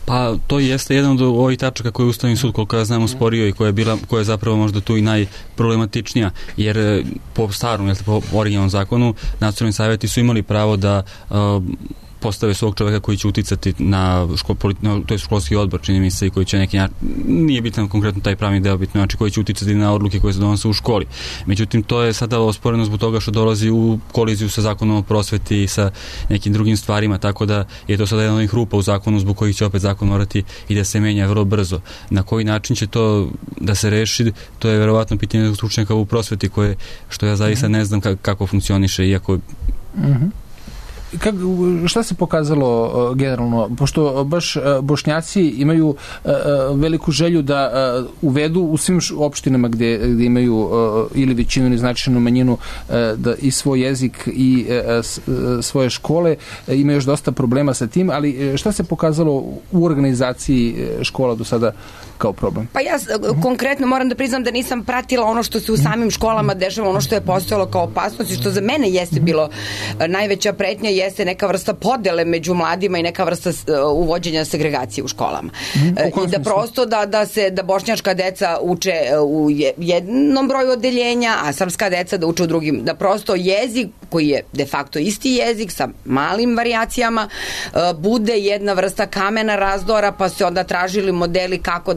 Pa to jeste jedan od ovih tačaka koje je Ustavni sud, koliko ja znam, usporio i koja je zapravo možda tu i najproblematičnija, jer po starom, po originalnom zakonu, nacionalni savjeti su imali pravo da postave svog čoveka koji će uticati na to je školski odbor, čini mi se, i koji će neki, nije bitan konkretno taj pravni deo, bitno, znači koji će uticati na odluke koje se donose u školi. Međutim, to je sada osporeno zbog toga što dolazi u koliziju sa zakonom o prosveti i sa nekim drugim stvarima, tako da je to sada jedan od onih rupa u zakonu zbog kojih će opet zakon morati i da se menja vrlo brzo. Na koji način će to da se reši, to je verovatno pitanje stručnjaka u prosveti koje, što ja zaista ne znam kako funkcioniše, iako šta se pokazalo generalno, pošto baš Bošnjaci imaju veliku želju da uvedu u svim opštinama gde imaju ili većinu ili značajnu manjinu da i svoj jezik i svoje škole, ima još dosta problema sa tim, ali šta se pokazalo u organizaciji škola do sada kao problem? Pa ja konkretno moram da priznam da nisam pratila ono što se u samim školama dešava, ono što je postojalo kao opasnost i što za mene jeste bilo najveća pretnja, jeste neka vrsta podele među mladima i neka vrsta uvođenja segregacije u školama. I da prosto da bošnjačka deca uče u jednom broju odeljenja, a srpska deca da uče u drugim. Da prosto jezik, koji je de facto isti jezik sa malim varijacijama, bude jedna vrsta kamena razdora, pa se onda tražili modeli kako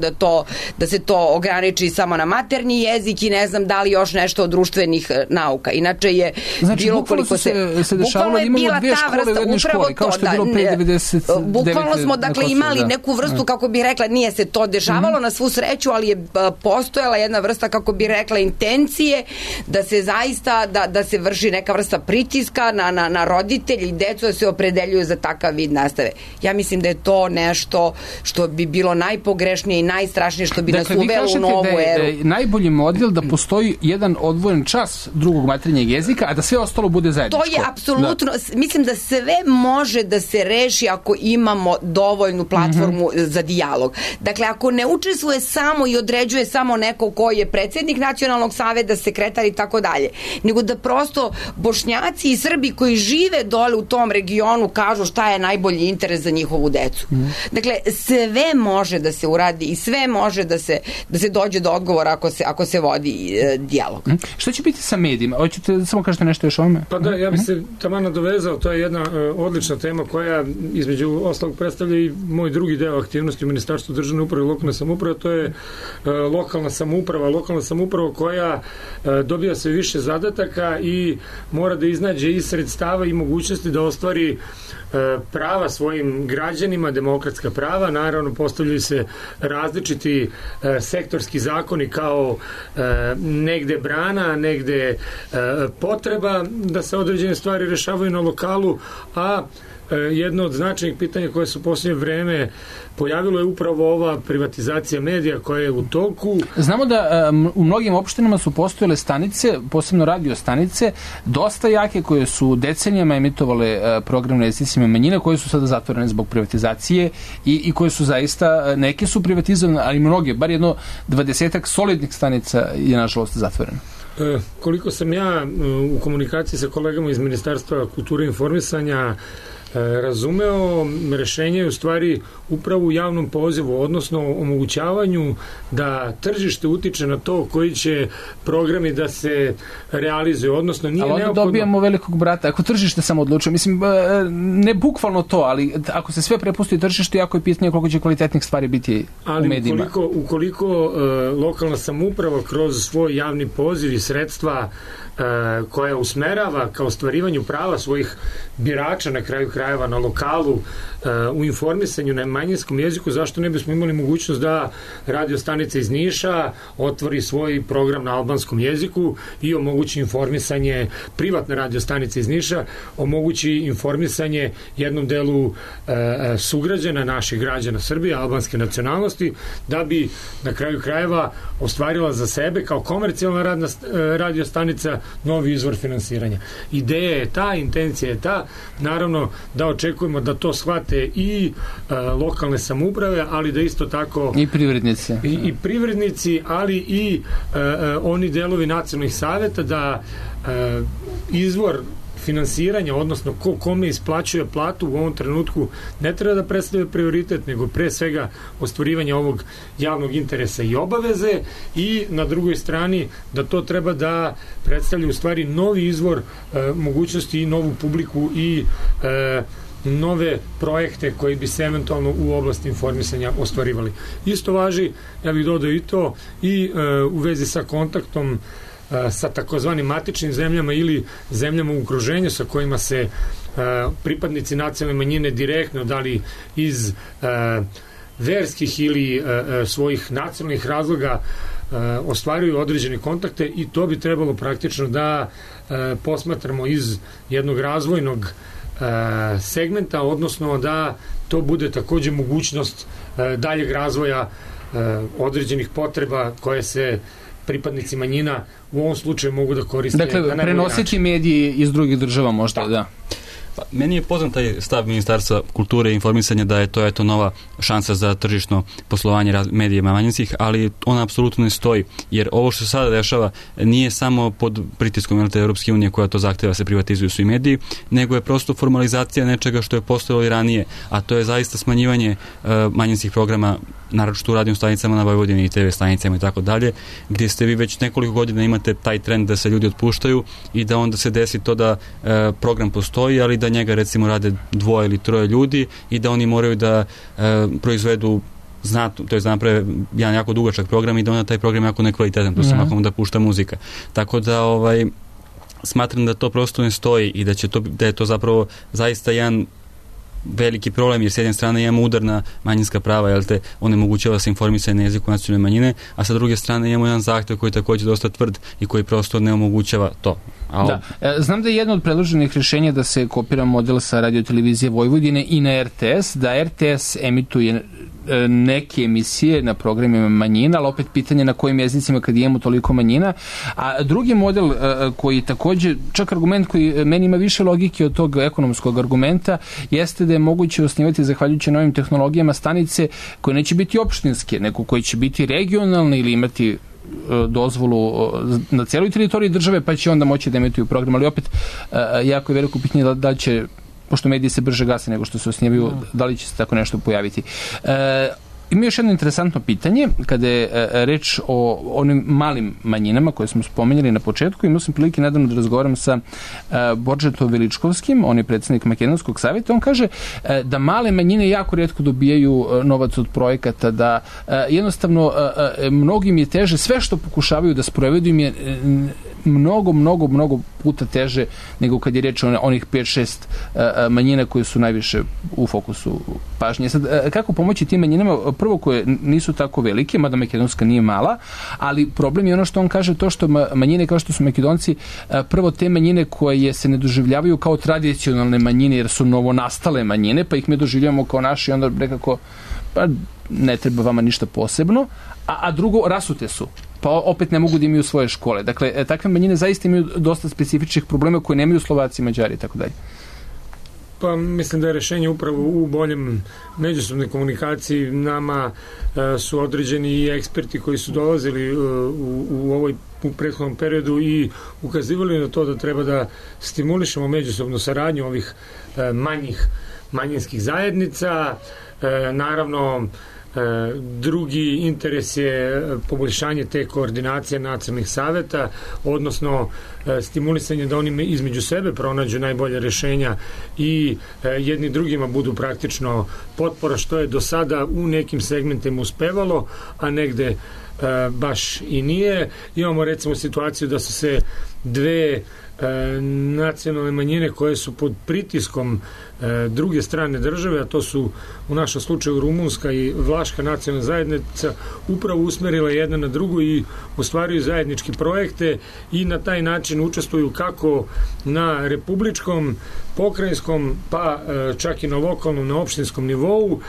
da se to ograniči samo na maternji jezik i ne znam da li još nešto od društvenih nauka. Inače je bilo koliko se dešavalo, imamo dve škole u jednoj školi, kao što je bilo pre 99. Bukvalno smo dakle imali neku vrstu, kako bi rekla, nije se to dešavalo na svu sreću, ali je postojala jedna vrsta, kako bi rekla, intencije da se zaista, da se vrši neka vrsta pritiska na roditelji i decu da se opredeljuju za takav vid nastave. Ja mislim da je to nešto što bi bilo najpogrešnije i najstrašnije, što bi nas uvelo u novu eru. Da je najbolji model da postoji jedan odvojen čas drugog maternjeg jezika, a da sve ostalo bude zajedničko. To je apsolutno, mislim da sve može da se reši ako imamo dovoljnu platformu za dijalog. Dakle, ako ne učestvuje samo i određuje samo neko koji je predsjednik nacionalnog saveta, sekretar i tako dalje, nego da prosto Bošnjaci i Srbi koji žive dole u tom regionu kažu šta je najbolji interes za njihovu decu. Dakle, sve može da se uradi i sve može da se dođe do odgovora ako se vodi dijalog. Šta će biti sa medijima? Hoćete samo kažete nešto još o ovome? Pa da, ja bih se taman nadovezao, to je jedna odlična tema koja između ostalog predstavlja i moj drugi deo aktivnosti u Ministarstvu državne uprave i lokalne samouprave, to je lokalna samouprava koja dobija sve više zadataka i mora da iznađe i sredstava i mogućnosti da ostvari prava svojim građanima, demokratska prava. Naravno, postavljaju se različiti sektorski zakoni kao negde brana, negde potreba da se određene stvari rešavaju na lokalu, a jedno od značajnih pitanja koje su u posljednje vreme pojavilo je upravo ova privatizacija medija koja je u toku. Znamo da u mnogim opštinama su postojale stanice, posebno radio stanice, dosta jake, koje su decenijama emitovale program na jezicima manjina, koje su sada zatvorene zbog privatizacije i koje su zaista, neke su privatizovane, ali mnoge, bar jedno 20-ak solidnih stanica je nažalost zatvoreno. Koliko sam ja u komunikaciji sa kolegama iz Ministarstva kulture i informisanja razumeo, rešenje je u stvari upravo u javnom pozivu, odnosno omogućavanju da tržište utiče na to koji će programi da se realizuju, odnosno nije neophodno... Ali onda dobijamo velikog brata, ako tržište samo odlučuje, mislim, ne bukvalno to, ali ako se sve prepusti tržištu, jako je pitanje koliko će kvalitetnih stvari biti u medijima. Ali ukoliko lokalna samouprava kroz svoj javni poziv i sredstva koja usmerava ka ostvarivanju prava svojih birača na kraju krajeva na lokalu u informisanju na manjinskom jeziku, zašto ne bismo imali mogućnost da radio stanica iz Niša otvori svoj program na albanskom jeziku i omogući informisanje, privatne radio stanice iz Niša omogući informisanje jednom delu sugrađana, naših građana Srbije, albanske nacionalnosti, da bi na kraju krajeva ostvarila za sebe kao komercijalna radio stanica novi izvor finansiranja. Ideja je ta, intencija je ta, naravno da očekujemo da to shvate i lokalne samouprave, ali da isto tako i privrednici. I privrednici, ali i oni delovi nacionalnih saveta, da izvor finansiranja, odnosno kome isplaćuje platu u ovom trenutku ne treba da predstavlja prioritet, nego pre svega ostvarivanje ovog javnog interesa i obaveze, i na drugoj strani da to treba da predstavlja u stvari novi izvor mogućnosti i novu publiku i nove projekte koji bi se eventualno u oblasti informisanja ostvarivali. Isto važi, ja bih dodao i to, i u vezi sa kontaktom sa takozvanim matičnim zemljama ili zemljama u okruženju sa kojima se pripadnici nacionalne manjine direktno, da li iz verskih ili svojih nacionalnih razloga ostvaruju određene kontakte, i to bi trebalo praktično da posmatramo iz jednog razvojnog segmenta, odnosno da to bude takođe mogućnost daljeg razvoja određenih potreba koje se pripadnici manjina u ovom slučaju mogu da koriste. Dakle, prenositi mediji iz drugih država možda, da. Pa, meni je poznat taj stav Ministarstva kulture i informisanja da je to eto nova šansa za tržišno poslovanje medijima manjinskih, ali ona apsolutno ne stoji, jer ovo što se sada dešava nije samo pod pritiskom Europske unije koja to zahteva se privatizuju svi mediji, nego je prosto formalizacija nečega što je postojalo i ranije, a to je zaista smanjivanje manjinskih programa, naročito u radio stanicama na Vojvodini i TV stanicama i tako dalje, gdje ste vi već nekoliko godina imate taj trend da se ljudi otpuštaju i da onda se desi to da program postoji, ali da njega recimo rade 2 ili 3 ljudi i da oni moraju da proizvedu to je naprave jedan jako dugačak program i da onda taj program jako nekvalitetan, to se makon da pušta muzika. Tako da smatram da to prosto ne stoji i da je to zapravo zaista jedan veliki problem, jer s jedne strane imamo udar na manjinska prava, jel te, onemogućava se informisanje na jeziku nacionalne manjine, a sa druge strane imamo jedan zahtev koji je također dosta tvrd i koji prosto ne omogućava to. Da. Znam da je jedno od predloženih rješenja da se kopira model sa radiotelevizije Vojvodine i na RTS, da RTS emituje neke emisije na programima manjina, ali opet pitanje na kojim jezicima kad imamo toliko manjina. A drugi model koji također, čak argument koji meni ima više logike od tog ekonomskog argumenta, jeste da je moguće osnivati zahvaljujući novim tehnologijama stanice koje neće biti opštinske, nego koje će biti regionalne ili imati dozvolu na cijeloj teritoriji države, pa će onda moći da emituju program, ali opet jako je veliko pitanje da će, pošto mediji se brže gase nego što se osnivaju, da li će se tako nešto pojaviti. Ima još jedno interesantno pitanje, kada je reč o onim malim manjinama koje smo spomenuli na početku. Imao sam prilike nedavno da razgovaram sa Boržetom Veličkovskim, on je predsednik Makedonskog savjeta. On kaže da male manjine jako rijetko dobijaju novac od projekata, da jednostavno mnogim je teže, sve što pokušavaju da sprovedu im je mnogo puta teže nego kad je reč o onih 5-6 manjina koje su najviše u fokusu pažnje. Sad, kako pomoći tim manjinama? Prvo, koje nisu tako velike, mada Makedonska nije mala, ali problem je ono što on kaže, to što manjine kao što su Makedonci, prvo te manjine koje se ne doživljavaju kao tradicionalne manjine jer su novonastale manjine, pa ih mi doživljavamo kao naši, onda nekako pa ne treba vama ništa posebno, a drugo, rasute su, pa opet ne mogu da imaju svoje škole. Dakle, takve manjine zaista imaju dosta specifičnih problema koje nemaju Slovaci, Mađari i tako dalje. Pa mislim da je rešenje upravo u boljem međusobnoj komunikaciji. Nama su određeni i eksperti koji su dolazili u prethodnom periodu i ukazivali na to da treba da stimulišemo međusobnu saradnju ovih manjinskih zajednica. Naravno, drugi interes je poboljšanje te koordinacije nacionalnih saveta, odnosno stimulisanje da oni između sebe pronađu najbolje rešenja i jedni drugima budu praktično potpora, što je do sada u nekim segmentima uspevalo, a negde baš i nije. Imamo recimo situaciju da su se dve nacionalne manjine koje su pod pritiskom druge strane države, a to su u našem slučaju rumunska i vlaška nacionalna zajednica, upravo usmerila jedna na drugu i ostvaruju zajednički projekte i na taj način učestvuju kako na republičkom, pokrajinskom, pa čak i na lokalnom, na opštinskom nivou.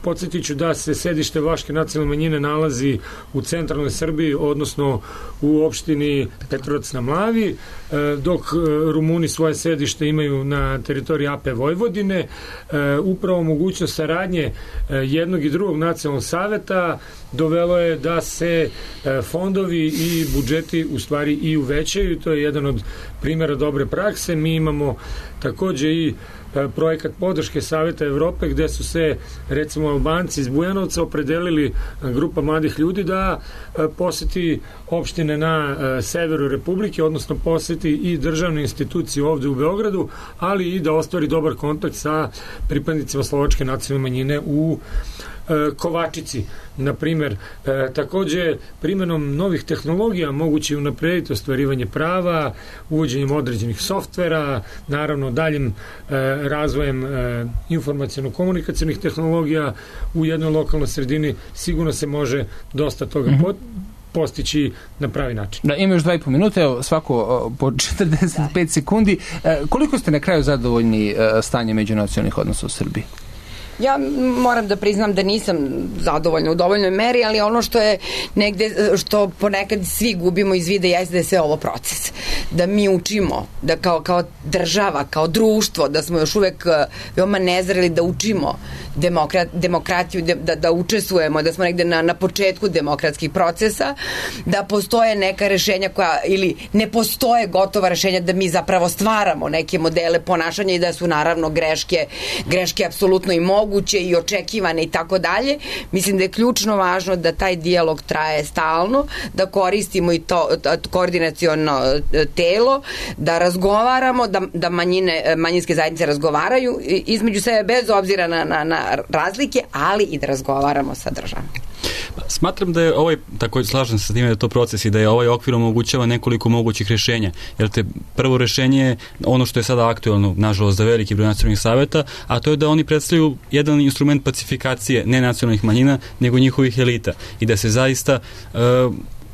Podsjetit ću da se sedište vlaške nacionalne manjine nalazi u centralnoj Srbiji, odnosno u opštini Petrovac na Mlavi, dok Rumuni svoje sedište imaju na teritoriji AP Vojvodine. Upravo mogućnost saradnje jednog i drugog nacionalnog saveta dovelo je da se fondovi i budžeti u stvari i uvećaju. To je jedan od primjera dobre prakse. Mi imamo takođe i projekat podrške Saveta Evrope gde su se recimo Albanci iz Bujanovca opredelili, grupa mladih ljudi, da poseti opštine na severu Republike, odnosno poseti i državne institucije ovde u Beogradu, ali i da ostvari dobar kontakt sa pripadnicima slovačke nacionalne manjine u Kovačici. Na primer, takođe primenom novih tehnologija moguće je unaprediti ostvarivanje prava, uvođenjem određenih softvera, naravno daljim razvojem informaciono-komunikacionih tehnologija u jednoj lokalnoj sredini sigurno se može dosta toga postići na pravi način. Da, ima još 2,5 minuta, evo svako po 45 sekundi. Koliko ste na kraju zadovoljni stanje međunacionalnih odnosa u Srbiji? Ja moram da priznam da nisam zadovoljna u dovoljnoj meri, ali ono što je negde, što ponekad svi gubimo iz vida, jeste da je sve ovo proces. Da mi učimo, da kao država, kao društvo, da smo još uvek veoma nezreli da učimo demokratiju, da učestvujemo, da smo negde na početku demokratskih procesa, da postoje neka rešenja koja, ili ne postoje gotova rešenja, da mi zapravo stvaramo neke modele ponašanja i da su naravno greške apsolutno i moguće i očekivane i tako dalje. Mislim da je ključno važno da taj dijalog traje stalno, da koristimo i to koordinaciono telo, da razgovaramo, da manjinske zajednice razgovaraju između sebe bez obzira na razlike, ali i da razgovaramo sa državom. Smatram da je takođe slažem se sa time da je to proces i da je ovaj okvir omogućava nekoliko mogućih rešenja. Jer prvo rešenje je ono što je sada aktuelno, nažalost, za veliki broj nacionalnih saveta, a to je da oni predstavljaju jedan instrument pacifikacije ne nacionalnih manjina, nego njihovih elita. I da se zaista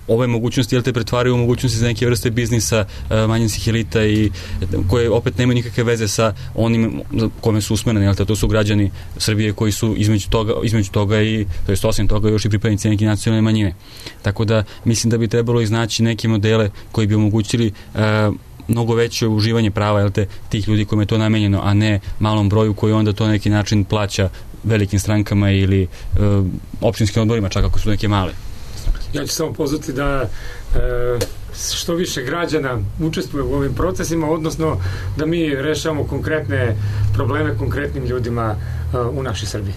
ove mogućnosti pretvaraju u mogućnosti za neke vrste biznisa manjinskih elita i koje opet nemaju nikakve veze sa onim kome su usmereni, to su građani Srbije koji su između toga i, to jest osim toga, još i pripadnici neke nacionalne manjine. Tako da mislim da bi trebalo iznaći neke modele koji bi omogućili mnogo veće uživanje prava tih ljudi kojima je to namenjeno, a ne malom broju koji onda to na neki način plaća velikim strankama ili opštinskim odborima, čak ako su neke male. Ja ću samo pozvati da što više građana učestvuje u ovim procesima, odnosno da mi rešavamo konkretne probleme konkretnim ljudima u našoj Srbiji.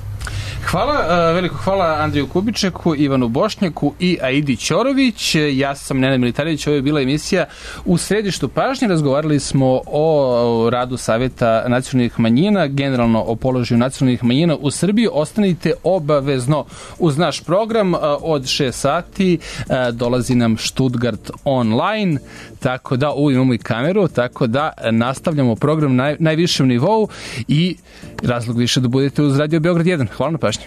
Hvala, veliko hvala Andriju Kubičeku, Ivanu Bošnjaku i Aidi Ćorović. Ja sam Nenad Militarević, ovo je bila emisija U središtu pažnje. Razgovarali smo o radu Saveta nacionalnih manjina, generalno o položaju nacionalnih manjina u Srbiji. Ostanite obavezno uz naš program. Od 6 sati dolazi nam Stuttgart online, tako da imamo i kameru, tako da nastavljamo program na najvišem nivou i razlog više da budete uz Radio Beograd 1. Hvala na pažnji.